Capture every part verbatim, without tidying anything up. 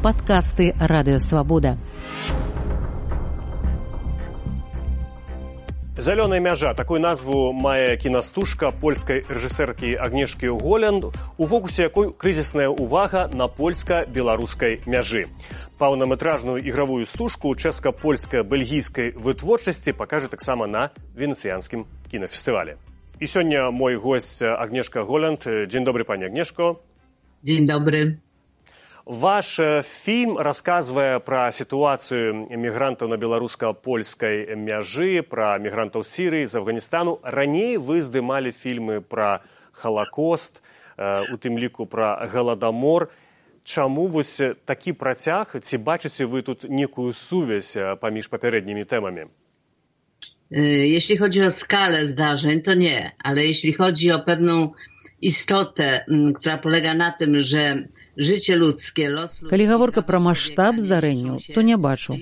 падкасты Радыё Свабода. «Зялёная мяжа» – такую назву мае кінастужка польскай рэжысэркі Агнешкі Голянд, у фокусе якой крызісная ўвага на польска-беларускай мяжы. Паўнаметражную ігравую стужку чэшска-польска-бельгійскай вытворчасці пакажа таксама на венецыянскім кінафестывале. І сёння мой гость Агнешка Голянд. Дзень добры, пані Агнешко. Дзень добры. Ваш фільм расказвае пра сітуацыю мігрантаў на беларуска-польскай мяжы, пра мігрантаў з Сірыі, з Афганістану. Раней вы здымалі фільмы пра Халакост, у тым ліку пра Галадамор. Чаму вось такі працяг? Ці бачыце вы тут некую сувязь паміж папярэднімі тэмамі? Jeśli chodzi o skalę zdarzeń, to nie, ale jeśli chodzi o pewną istotę, która polega na tym, że życie ludzkie, los ludzki... Калі гаворка пра маштаб здарэнняў, то не бачу.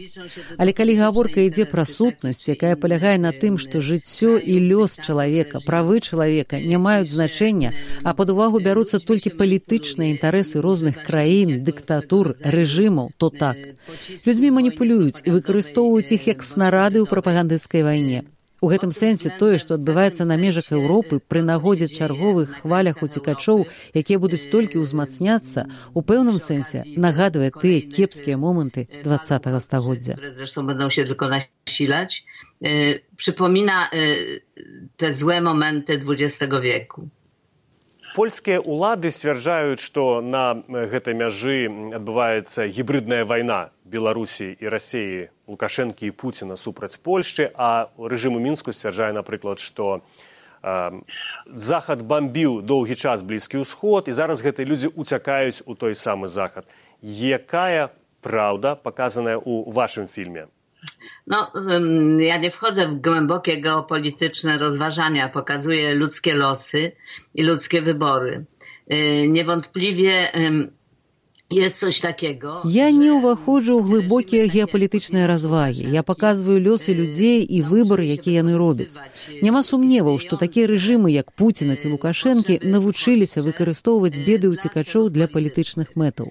Але калі гаворка ідзе пра сутнасць, якая палягае на тым, што жыццё і лёс чалавека, правы чалавека не маюць значэння, а пад увагу бяруцца толькі палітычныя інтарэсы розных краін, дыктатур, рэжымаў, то так. Людзьмі маніпулююць і выкарыстоўваюць іх як снарады ў прапагандысцкай вайне. У гэтым сэнсе тое, што адбываецца на межах Еўропы пры нагодзе чарговых хвалях уцекачоў, якія будуць толькі ўзмацняцца, у пэўным сэнсе нагадвае тыя кепскія моманты двадцатага стагоддзя. Zresztą będą się tylko nasilać. Przypomina te złe momenty dwudziestego wieku. Польскія ўлады сцвярджаюць, што на гэтай мяжы адбываецца гібридная вайна Беларусі і Расіі, Лукашэнкі і Пуціна супраць Польшчы, а рэжым у Мінску сцвярджае, напрыклад, што э, Захад бамбіў доўгі час Блізкі ўсход, і зараз гэтыя людзі уцякаюць у той самы Захад. Якая праўда паказаная ў вашым фільме? No, ja nie wchodzę w głębokie geopolityczne rozważania, pokazuję ludzkie losy i ludzkie wybory. Niewątpliwie jest coś takiego... Я не ўваходжу ў глыбокія геапалітычныя развагі. Я паказваю лёсы людзей і выбары, якія яны робяць. Няма сумневаў, што такія рэжымы, як Пуціна ці Лукашэнкі, навучыліся выкарыстоўваць беды ўцекачоў для палітычных мэтаў.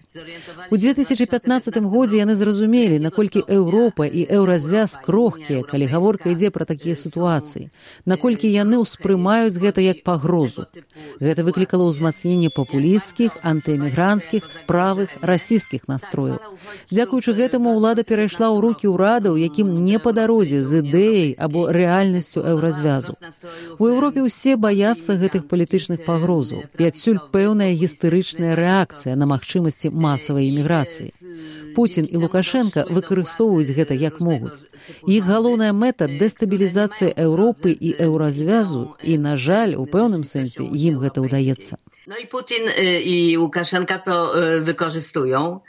У две тысячы пятнаццатым годзе яны зразумелі, наколькі Еўропа і еўразвяз крохкія, калі гаворка ідзе пра такія сітуацыі, наколькі яны ўспрымаюць гэта як пагрозу. Гэта выклікала ўзмацненне папулісцкіх, антыэмігранцкіх, правых, расійскіх настрояў. Дзякуючы гэтаму ўлада перайшла ў рукі ўрадаў, якім не па дарозе з ідэяй або рэальнасцю еўразвязу. У Еўропе ўсе баяцца гэтых палітычных пагрозаў, і адсюль пэўная гістэрычная рэакцыя на магчымасці масавай іміграцыі. Пуцін і Лукашенка выкарыстоўваюць гэта як могуць. Іх галоўная мэта – дэстабілізацыя Еўропы і еўразвязу, і, на жаль, у пэўным сэнсе ім гэта ўдаецца. No i Putin i Łukaszenka to wykorzystują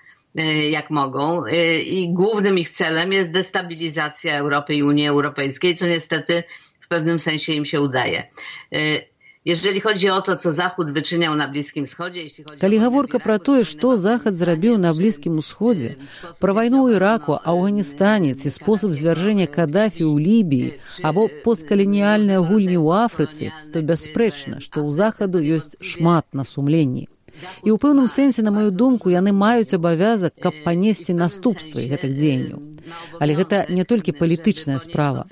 jak mogą i głównym ich celem jest destabilizacja Europy i Unii Europejskiej, co niestety w pewnym sensie im się udaje. Jeżeli chodzi o to, co Zachód wyczyniał na Bliskim Wschodzie... Калі гаворка пра тое, што Захад зрабіў на Блізкім Усходзе, пра вайну ў Іраку, Афганістане ці спосаб звяржэння Кадафі ў Лібіі або посткаланіяльныя гульні ў Афрыцы, то бясспрэчна, што ў Захаду ёсць шмат на сумленні. І ў пэўным сэнсе, на маю думку, яны маюць абавязак, каб панесці наступствы гэтых дзеянняў. Але гэта не толькі палітычная справа.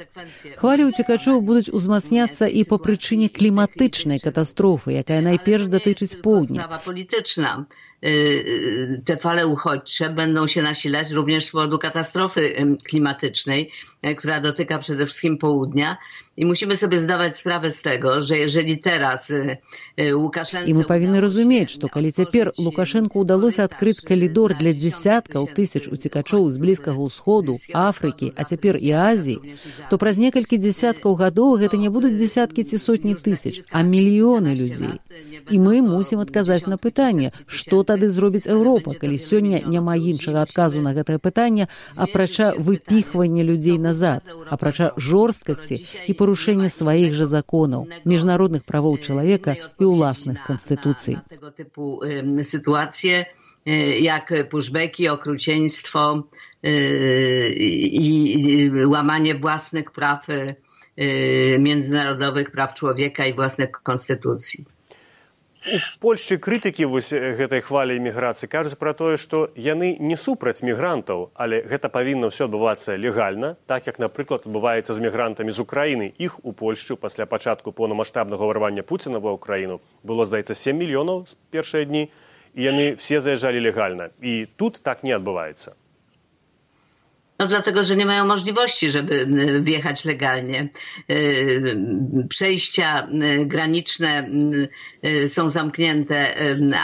Хвалі ўцекачоў будуць узмацняцца і па прычыне кліматычнай катастрофы, якая найперш датычыць поўдня. Sprawa polityczna. Te fale uchodźcze będą się nasilać również z powodu katastrofy klimatycznej, która dotyka przede wszystkim południa. I musimy sobie zdawać sprawę z tego, że jeżeli teraz Łukaszence... І мы павінны разумець, што калі цяпер Лукашэнку ўдалося адкрыць калідор для дзесяткаў тысяч уцекачоў з Блізкага ўсходу, Афрыкі, а цяпер і Азіі, то праз некалькі дзесяткаў гадоў гэта не будуць дзесяткі ці сотні тысяч, а мільёны людзей. І мы мусім адказаць на пытанне, што тады зробіць Еўропа, калі сёння няма іншага адказу на гэтае пытанне, апрача выпіхвання людзей назад, апрача жорсткасці і парушэння сваіх жа законаў, міжнародных правоў чалавека і ўласных канстытуцый. Tego typu sytuacje jak pushbacki, okrucieństwo i łamanie własnych praw międzynarodowych, praw człowieka i własnych konstytucji. у Польшчы крытыкі вось гэтай хвалі іміграцыі кажуць пра тое, што яны не супраць мігрантаў, але гэта павінна ўсё адбывацца легальна, так як, напрыклад, адбываецца з мігрантамі з Украіны. Іх у Польшчу пасля пачатку поўнамаштабнага ўварвання Пуціна ва Ўкраіну было, здаецца, сем мільёнаў з першыя дні, і яны все заязджалі легальна. І тут так не адбываецца. No dlatego, że nie mają możliwości, żeby wjechać legalnie. Przejścia graniczne są zamknięte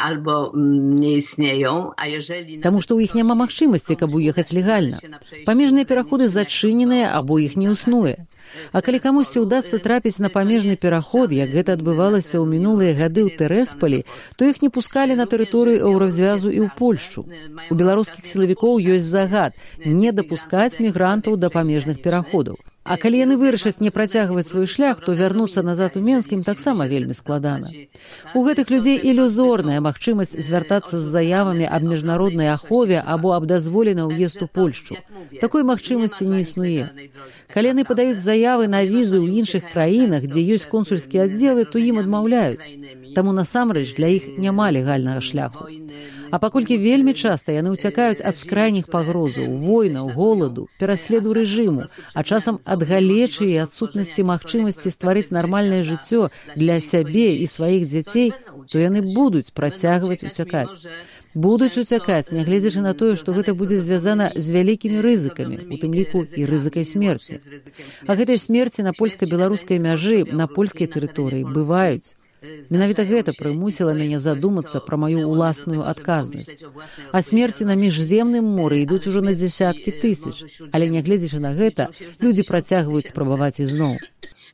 albo nie istnieją, a jeżeli... Таму што ў іх няма магчымасці, каб уехаць легальна. Памежныя пераходы зачыненыя або іх не існуе. А калі камусьці ўдасца трапіць на памежны пераход, як гэта адбывалася ў мінулыя гады ў Тэрэсполі, то іх не пускалі на тэрыторыю Еўразвязу і ў Польшчу. У беларускіх сілавікоў ёсць загад не дапускаць мігрантаў да памежных пераходаў. А калі яны вырашаць не працягваць свой шлях, то вярнуцца назад у Менск ім таксама вельмі складана. У гэтых людзей ілюзорная магчымасць звяртацца з заявамі аб міжнароднай ахове або аб дазволе на ўезд у Польшчу. Такой магчымасці не існуе. Калі яны падаюць заявы на візы ў іншых краінах, дзе ёсць консульскія аддзелы, то ім адмаўляюць. Таму насамрэч для іх няма легальнага шляху. А паколькі вельмі часта яны ўцякаюць ад скрайніх пагрозаў, войнаў, голаду, пераследу рэжыму, а часам ад галечы і адсутнасці магчымасці стварыць нармальнае жыццё для сябе і сваіх дзяцей, то яны будуць працягваць уцякаць. Будуць уцякаць, нягледзячы на тое, што гэта будзе звязана з вялікімі рызыкамі, у тым ліку і рызыкай смерці. А гэтай смерці на польска-беларускай мяжы, на польскай тэрыторыі бываюць. Менавіта гэта прымусіла мяне задумацца пра маю ўласную адказнасць. А смерці на міжземным моры ідуць ужо на дзесяткі тысяч. Але нягледзячы на гэта, людзі працягваюць спрабаваць ізноў.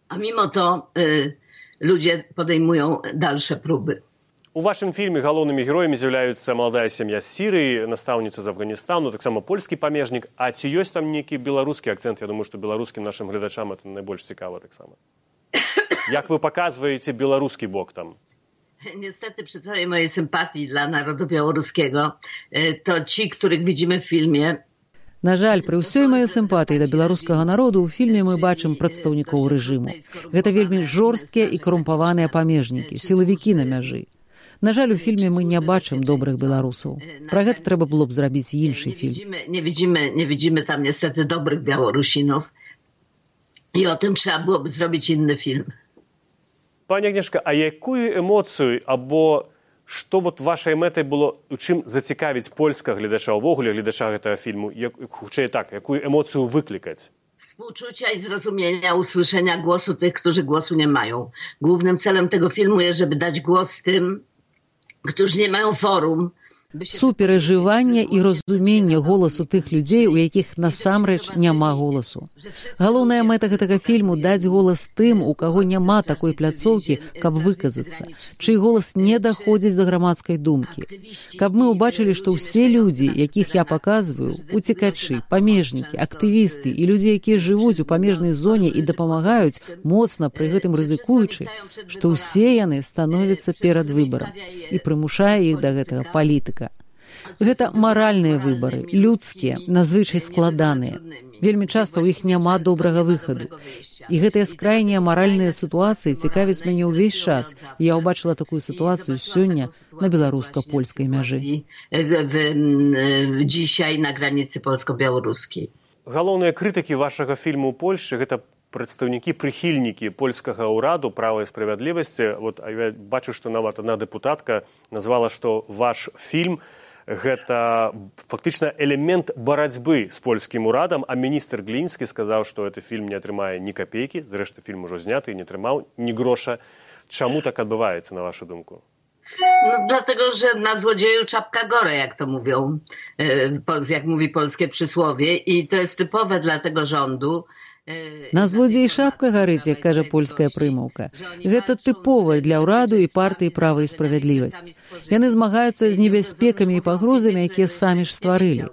А мимо то y, ludzie podejmują dalsze próby. У вашым фільме галоўнымі героямі з'яўляюцца маладая сям'я з Сірыі, настаўніца з Афганістану, таксама польскі памежнік. А ці ёсць там нейкі беларускі акцэнт? Я думаю, што беларускім нашым гледачам это найбольш цікава таксама. Jak wy pokazujecie białoruski bok tam? Niestety przy całej mojej sympatii dla narodu białoruskiego, to ci, których widzimy w filmie... На жаль, пры ўсёй маёй сімпатыі да беларускага народу ў фільме мы бачым прадстаўнікоў рэжыму. Гэта вельмі жорсткія і карумпаваныя памежнікі, сілавікі на мяжы. На жаль, у фільме мы не бачым добрых беларусаў. Пра гэта трэба было б зрабіць іншы фільм. Nie widzimy, nie widzimy tam niestety dobrych Białorusinów i o tym trzeba byłoby zrobić inny film. Пані Агнешка, а якую емоцію або што вот вашай мэтай было, у чым зацікавіць польскага гледача, увогуле гледача гэтага фільму, як, хутчэй так, якую емоцію выклікаць? Współczucia i zrozumienia, usłyszenia głosu tych, którzy głosu nie mają. Głównym celem tego filmu jest, żeby dać głos tym, którzy nie mają forum. Суперажывання і разумення голасу тых людзей, у якіх насамрэч няма голасу. Галоўная мэта гэтага фільму — даць голас тым, у каго няма такой пляцоўкі, каб выказацца, чый голас не даходзіць да грамадскай думкі. Каб мы ўбачылі, што ўсе людзі, якіх я паказваю, уцекачы, памежнікі, актывісты і людзі, якія жывуць у памежнай зоне і дапамагаюць, моцна пры гэтым рызыкуючы, што ўсе яны становяцца перад выбарам і прымушае іх да гэтага палітыка. Гэта маральныя выбары, людскія, назвычай складаныя. Вельмі часта ў іх няма добрага выхаду. І гэтыя скрайнія маральныя сітуацыі цікавяць мяне ўвесь час. Я ўбачыла такую сітуацыю сёння на беларуска-польскай мяжы. Dzisiaj na granicy polsko-białoruskiej. Галоўныя крытыкі вашага фільму ў Польшчы — гэта прадстаўнікі, прыхільнікі польскага ўраду права і справядлівасці. Вот, я бачу, што нават адна дэпутатка назвала, што ваш фільм гэта фактычна элемент барацьбы з польскім урадам, а міністр Глінскі сказаў, што гэты фільм не атрымае ні капейкі, зрэшты фільм ужо зняты і не атрымаў ні гроша. Чаму так адбываецца, на вашу думку? No, dlatego, że na złodzieju czapka gore, jak to mówią, jak mówi polskie przysłowie, i to jest typowe dla tego rządu. На злодзей шапка гарыць, як кажа польская прымаўка. Гэта тыповае для ўраду і партыі «Права і справядлівасць». Яны змагаюцца з небяспекамі і пагрозамі, якія самі ж стварылі.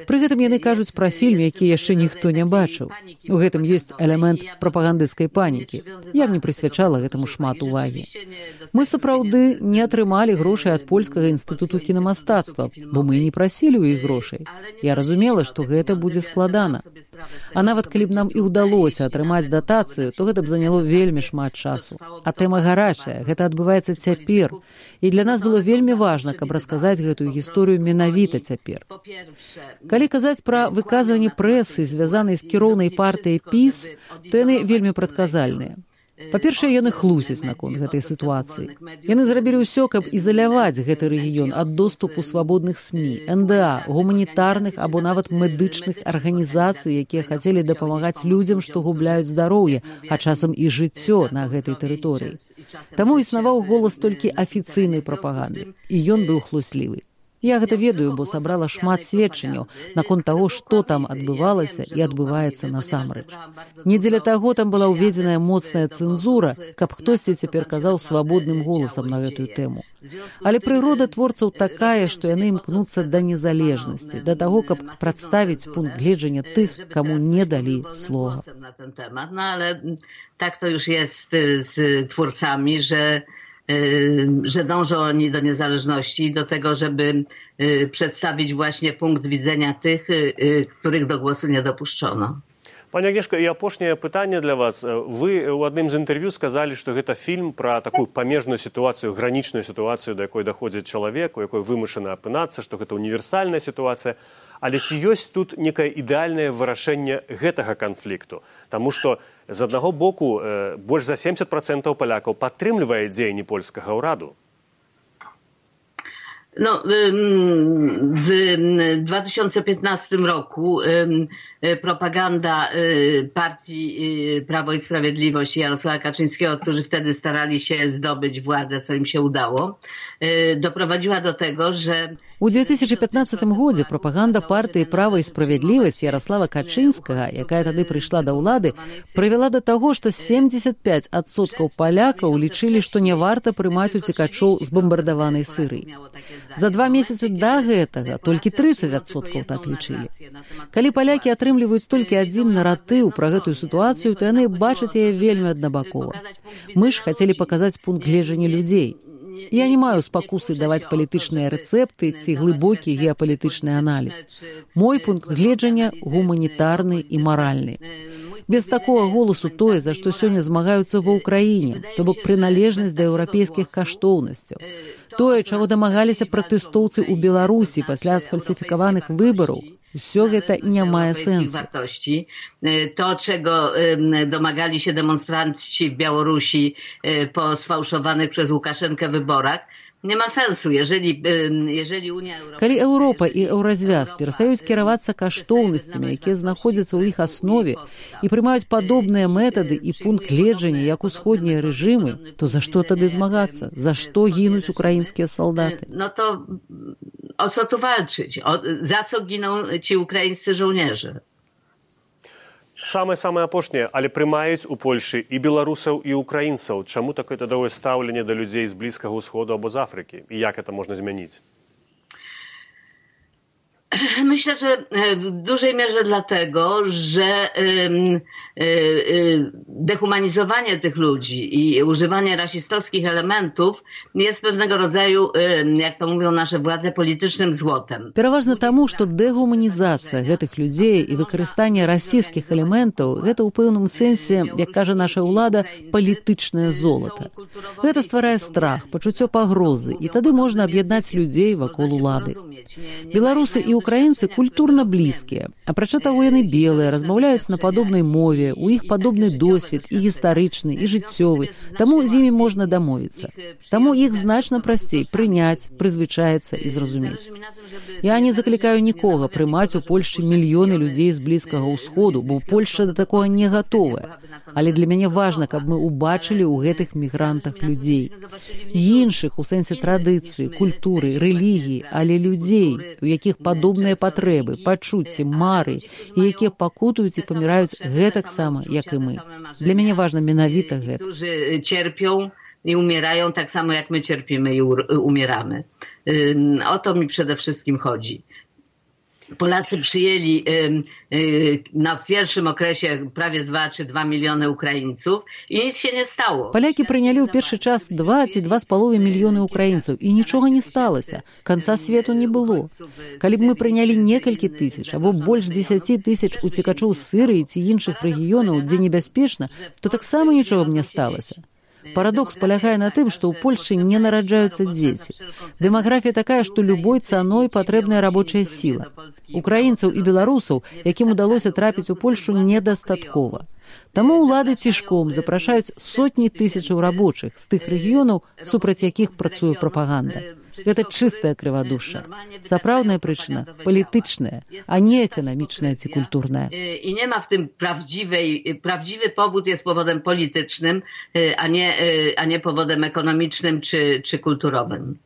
Пры гэтым яны кажуць пра фільм, які яшчэ ніхто не бачыў. У гэтым ёсць элемент прапагандысцкай панікі. Я б не прысвячала гэтаму шмат увагі. Мы сапраўды не атрымалі грошай ад Польскага інстытуту кінамастацтва, бо мы не прасілі ў іх грошай. Я разумела, што гэта будзе складана. А нават калі б нам і ўдалося атрымаць датацыю, то гэта б заняло вельмі шмат часу. А тэма гарачая, гэта адбываецца цяпер. І для нас было вельмі важна, каб расказаць гэтую гісторыю менавіта цяпер. Калі казаць пра выказванні прэсы, звязанай з кіроўнай партыяй ПіС, то яны вельмі прадказальныя. Па-першае, яны хлусяць наконт гэтай сітуацыі. Яны зрабілі ўсё, каб ізаляваць гэты рэгіён ад доступу свабодных СМІ, эн дэ а, гуманітарных або нават медычных арганізацый, якія хацелі дапамагаць людзям, што губляюць здароўе, а часам і жыццё на гэтай тэрыторыі. Таму існаваў голас толькі афіцыйнай прапаганды, і ён быў хлуслівы. Я гэта ведаю, бо сабрала шмат сведчанняў наконт таго, што там адбывалася і адбываецца насамрэч. Не дзеля таго там была ўведзеная моцная цэнзура, каб хтосьці цяпер казаў свабодным голасам на гэтую тэму. Але прырода творцаў такая, што яны імкнуцца да незалежнасці, да таго, каб прадставіць пункт гледжання тых, каму не далі слова. No ale tak to już jest z twórcami, że że dążą oni do niezależności, do tego, żeby przedstawić właśnie punkt widzenia tych, których do głosu nie dopuszczono. Пані Агнешка, і апошняе пытанне для вас. Вы ў адным з інтэрв'ю сказалі, што гэта фільм пра такую памежную сітуацыю, гранічную сітуацыю, да якой даходзіць чалавек, у якой вымушана апынацца, што гэта універсальная сітуацыя. Але ці ёсць тут некае ідэальнае вырашэнне гэтага канфлікту? Таму што з аднаго боку больш за сямдзесят працэнтаў палякаў падтрымлівае дзеянні польскага ўраду. No, w dwa tysiące piętnastym roku propaganda partii Prawo i Sprawiedliwość i Jarosława Kaczyńskiego, którzy wtedy starali się zdobyć władzę, co im się udało, doprowadziła do tego, że... У две тысячи пятнадцатым годзе прапаганда партыі «Права і справядлівасць» Ярослава Качынскага, якая тады прыйшла да ўлады, прывяла да таго, што семьдесят пять адсоткаў палякаў лічылі, што не варта прымаць уцекачоў з бамбардаванай Сырыі. За два месяцы да гэтага толькі тридцать адсоткаў так лічылі. Калі палякі атрымліваюць толькі адзін наратыў пра гэтую сітуацыю, то яны бачаць яе вельмі аднабакова. Мы ж хацелі паказаць пункт гледжання людзей. Я не маю спакусы даваць палітычныя рэцэпты ці глыбокі геапалітычны аналіз. Мой пункт гледжання гуманітарны і маральны. Без такога голасу тое, за што сёння змагаюцца ва ўкраіне, то бок прыналежнасць да еўрапейскіх каштоўнасцяў. Тое, чаго дамагаліся пратэстоўцы ў Беларусі пасля сфальсіфікаваных выбараў, все гэта не мае сэнсу. To, czego domagali się demonstranci w Białorusi po sfałszowanych przez Łukaszenkę wyborach, nie ma sensu, jeżeli, jeżeli Unia Europejska... Калі Еўропа і Еўразвяз перастаюць кіравацца каштоўнасцямі, якія знаходзяцца ў іх аснове і прымаюць падобныя метады і пункт гледжання, як усходнія рэжымы, то за што тады змагацца? За што гінуць украінскія салдаты? No to o co tu walczyć? O, za co giną ci ukraińscy żołnierze? Самае-самае апошняе, але прымаюць у Польшы і беларусаў, і украінцаў. Чаму такое тадовае стаўленне да людзей з Блізкага ўсходу або з Афрыкі? І як гэта можна змяніць? Myślę, że w dużej mierze dlatego, że dehumanizowanie tych ludzi i używanie rasistowskich elementów jest pewnego rodzaju, jak to mówią nasze władze, politycznym złotem. Пераважна таму, што дэгуманізацыя гэтых людзей і выкарыстанне расійскіх элементаў гэта ў пэўным сэнсе, як кажа наша ўлада, палітычнае золата. Гэта стварае страх, пачуццё пагрозы, і тады можна аб'яднаць людзей вакол улады. Беларусы і украінцы культурна блізкія. Апрача таго, яны белыя, размаўляюць на падобнай мове, у іх падобны досвед і гістарычны, і жыццёвы, таму з імі можна дамовіцца. Таму іх значна прасцей прыняць, прызвычаецца і зразумець. Я не заклікаю нікога прымаць у Польшчы мільёны людзей з Блізкага ўсходу, бо Польшча да такога не гатовая. Але для мяне важна, каб мы ўбачылі ў гэтых мігрантах людзей. Іншых у сэнсе традыцыі, культуры, рэлігіі, але людзей, у якіх падобныя патрэбы, пачуцці, мары, і якія пакутуюць і паміраюць гэтак сама, як і мы. Для мяне важна менавіта гэта. Którzy cierpią i umierają tak samo jak my cierpimy i umieramy. O to mi przede wszystkim chodzi. Polacy przyjęli na pierwszym okresie prawie dwa czy dwa miliony Ukraińców i nic się nie stało. Палякі прынялі ў першы час два ці два з паловай мільёны украінцаў, і нічога не сталася. Канца свету не было. Калі б мы прынялі некалькі тысяч або больш дзесяці тысяч уцекачоў з Сірыі ці іншых рэгіёнаў, дзе небяспечна, то таксама нічога б не сталася. Парадокс палягае на тым, што ў Польшчы не нараджаюцца дзеці. Дэмаграфія такая, што любой цаной патрэбная рабочая сіла. Украінцаў і беларусаў, якім удалося трапіць у Польшчу, недастаткова. Таму ўлады цішком запрашаюць сотні тысячаў рабочых з тых рэгіёнаў, супраць якіх працуе прапаганда. Гэта чыстая крывадушша. Сапраўдная прычына палітычная, а не эканамічная ці культурная. I nie ma w tym prawdziwej, prawdziwy powód jest powodem politycznym, a nie, a nie powodem ekonomicznym czy, czy kulturowym.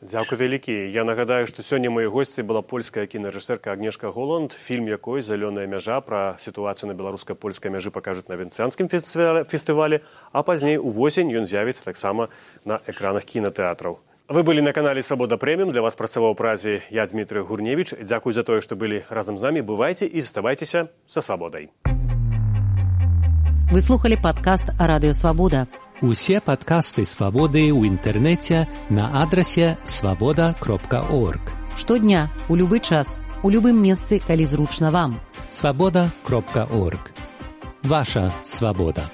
Дзякуй вялікі. Я нагадаю, што сёння моёй госці была польская кінарэжысэрка Агнешка Голанд, фільм якой «Зялёная мяжа» пра сітуацыю на беларуска-польскай мяжы пакажуць на Венецыянскім фестывалі, а пазней увосень ён з'явіцца таксама на экранах кінатэатраў. Вы былі на канале «Свабода Прэміум». Для вас працаваў у празе я, Дмітрый Гурневіч. Дзякуй за тое, што былі разам з намі. Бывайце і заставайцеся са свабодай. Вы слухали падкаст «Радыё Свабода». Усе падкасты «Свабоды» ў інтэрнэце на адрасе свабода кропка орг. Штодня, у любы час, у любым месцы, калі зручна вам. свабода кропка орг. Ваша свабода.